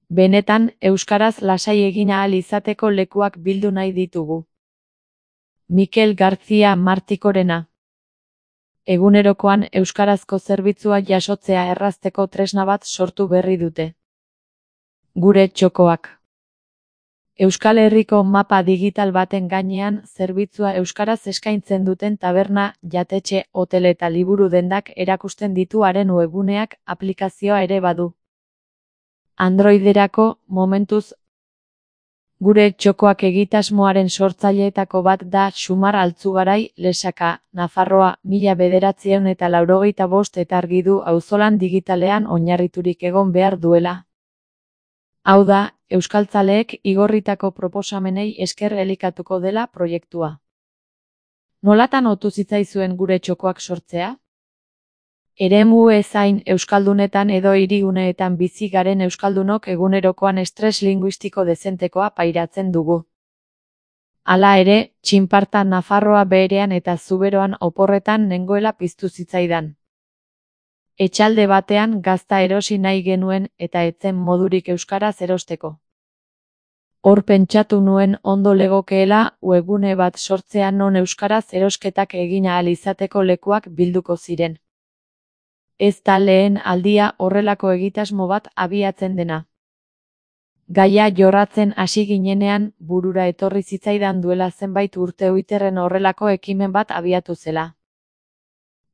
Benetan, euskaraz lasai egin ahal izateko lekuak bildu nahi ditugu. Mikel García Martikorena. Egunerokoan euskarazko zerbitzua jasotzea errazteko tresna bat sortu berri dute. Gure txokoak. Euskal Herriko mapa digital baten gainean zerbitzua euskaraz eskaintzen duten taberna, jatetxe, hotel eta liburu dendak erakusten ditu haren webguneak, aplikazioa ere badu. Androiderako, momentuz, gure txokoak egitasmoaren sortzaileetako bat da Xumar Altzugarai, Lesaka, Nafarroa, 1985 eta argi du auzolan digitalean oinarriturik egon behar duela. Hau da, euskaltzaleek igorritako proposamenei esker elikatuko dela proiektua. Nolatan otu zitzaizuen gure txokoak sortzea? Eremu ezain euskaldunetan edo hiriguneetan bizi garen euskaldunok egunerokoan estres linguistiko dezentekoa pairatzen dugu. Hala ere, txinparta Nafarroa beherean eta Zuberoan oporretan nengoela piztu zitzaidan. Etxalde batean gazta erosi nahi genuen eta etzen modurik euskaraz erosteko. Hor pentsatu nuen ondo legokeela webgune bat sortzea non euskaraz erosketak egin ahal izateko lekuak bilduko ziren. Ez da lehen aldia horrelako egitasmo bat abiatzen dena. Gaia jorratzen hasi ginenean burura etorri zitzaidan duela zenbait urte Twitterren horrelako ekimen bat abiatu zela.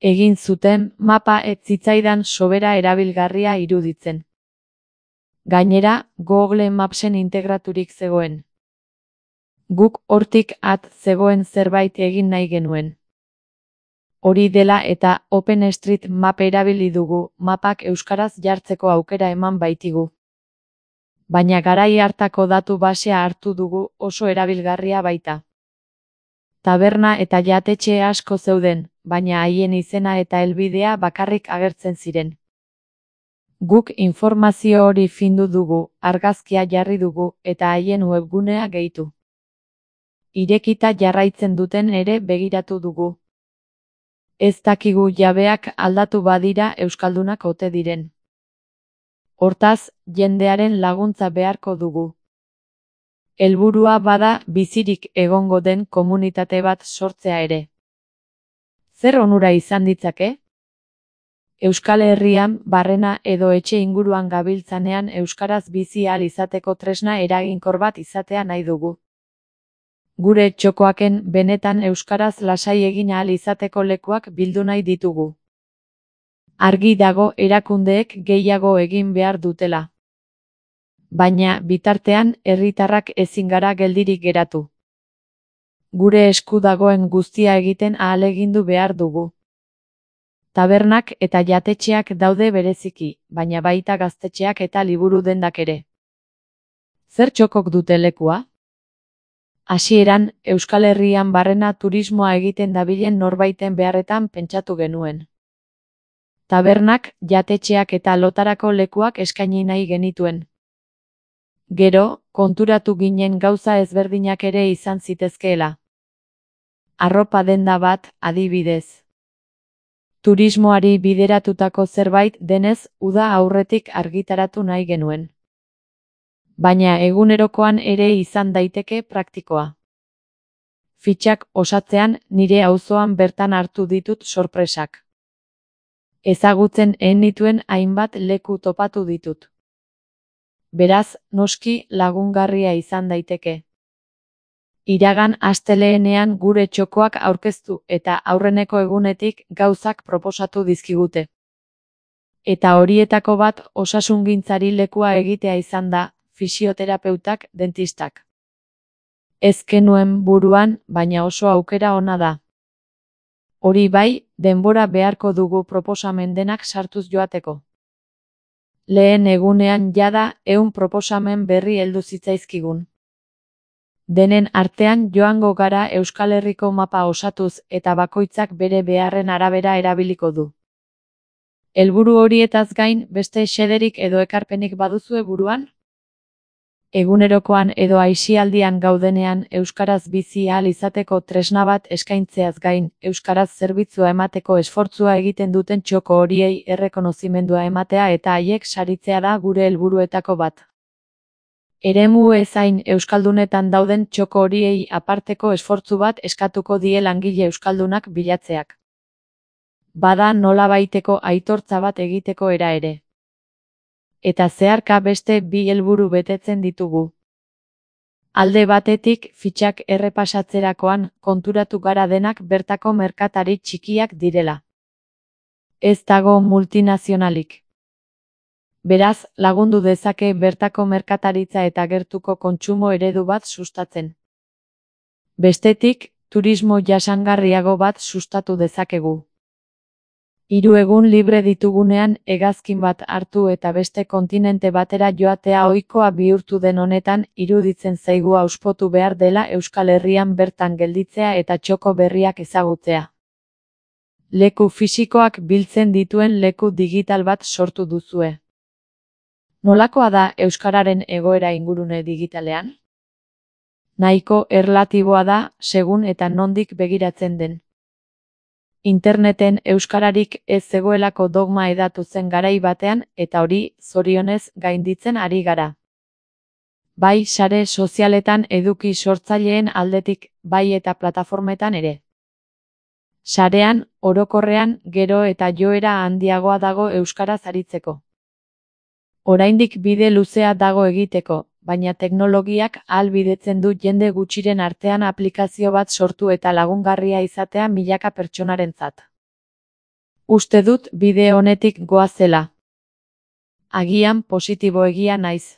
Egin zuten mapa ez zitzaidan sobera erabilgarria iruditzen. Gainera, Google Mapsen integraturik zegoen. Guk hortik at zegoen zerbait egin nahi genuen. Hori dela eta OpenStreetMap erabili dugu, mapak euskaraz jartzeko aukera eman baitigu. Baina garai hartako datu basea hartu dugu, oso erabilgarria baita. Taberna eta jatetxe asko zeuden, baina haien izena eta helbidea bakarrik agertzen ziren. Guk informazio hori findu dugu, argazkia jarri dugu eta haien webgunea gehitu. Irekita jarraitzen duten ere begiratu dugu. Ez dakigu jabeak aldatu badira euskaldunak ote diren. Hortaz, jendearen laguntza beharko dugu. Helburua bada bizirik egongo den komunitate bat sortzea ere. Zer onura izan ditzake? Euskal Herrian, barrena edo etxe inguruan gabiltzanean euskaraz bizi ahal izateko tresna eraginkor bat izatea nahi dugu. Gure txokoaken benetan euskaraz lasai egin ahal izateko lekuak bildu nahi ditugu. Argi dago erakundeek gehiago egin behar dutela. Baina, bitartean, herritarrak ezin gara geldirik geratu. Gure esku dagoen guztia egiten ahalegindu behar dugu. Tabernak eta jatetxeak daude bereziki, baina baita gaztetxeak eta liburu dendak ere. Zer txokok dute lekua? Hasieran, Euskal Herrian barrena turismoa egiten dabilen norbaiten beharretan pentsatu genuen. Tabernak, jatetxeak eta lotarako lekuak eskaini nahi genituen. Gero, konturatu ginen gauza ezberdinak ere izan zitezkeela. Arropa denda bat, adibidez. Turismoari bideratutako zerbait denez, uda aurretik argitaratu nahi genuen. Baina egunerokoan ere izan daiteke praktikoa. Fitxak osatzean nire auzoan bertan hartu ditut sorpresak. Ezagutzen nituen hainbat leku topatu ditut. Beraz, noski lagungarria izan daiteke. Iragan asteleenean gure txokoak aurkeztu eta aurreneko egunetik gauzak proposatu dizkigute. Eta horietako bat osasungintzari lekua egitea izan da, fisioterapeutak, dentistak. Ez genuen buruan, baina oso aukera ona da. Hori bai, denbora beharko dugu proposamen denak sartuz joateko. Lehen egunean jada 100 proposamen berri heldu zitzaizkigun. Denen artean joango gara Euskal Herriko mapa osatuz eta bakoitzak bere beharren arabera erabiliko du. Helburu horietaz gain beste xederik edo ekarpenik baduzue buruan? Egunerokoan edo aisialdian gaudenean euskaraz bizi ahal izateko tresna bat eskaintzeaz gain, euskaraz zerbitzua emateko esfortzua egiten duten txoko horiei errekonozimendua ematea eta haiek saritzea da gure helburuetako bat. Eremu ezain euskaldunetan dauden txoko horiei aparteko esfortzu bat eskatuko die langile euskaldunak bilatzeak. Bada nolabaiteko aitortza bat egiteko era ere. Eta zeharka beste bi helburu betetzen ditugu. Alde batetik, fitxak errepasatzerakoan konturatu gara denak bertako merkatari txikiak direla. Ez dago multinazionalik. Beraz, lagundu dezake bertako merkataritza eta gertuko kontsumo eredu bat sustatzen. Bestetik, turismo jasangarriago bat sustatu dezakegu. 3 egun libre ditugunean hegazkin bat hartu eta beste kontinente batera joatea ohikoa bihurtu den honetan, iruditzen zaigu hauspotu behar dela Euskal Herrian bertan gelditzea eta txoko berriak ezagutzea. Leku fisikoak biltzen dituen leku digital bat sortu duzue. Nolakoa da euskararen egoera ingurune digitalean? Nahiko erlatiboa da, segun eta nondik begiratzen den. Interneten euskararik ez zegoelako dogma hedatu zen garai batean eta hori, zorionez, gainditzen ari gara. Bai sare sozialetan eduki sortzaileen aldetik, bai eta plataformetan ere. Sarean, orokorrean, gero eta joera handiagoa dago euskaraz aritzeko. Oraindik bide luzea dago egiteko, baina teknologiak ahalbidetzen du jende gutxiren artean aplikazio bat sortu eta lagungarria izatea milaka pertsonarentzat. Uste dut bide honetik goazela. Agian positiboegia naiz.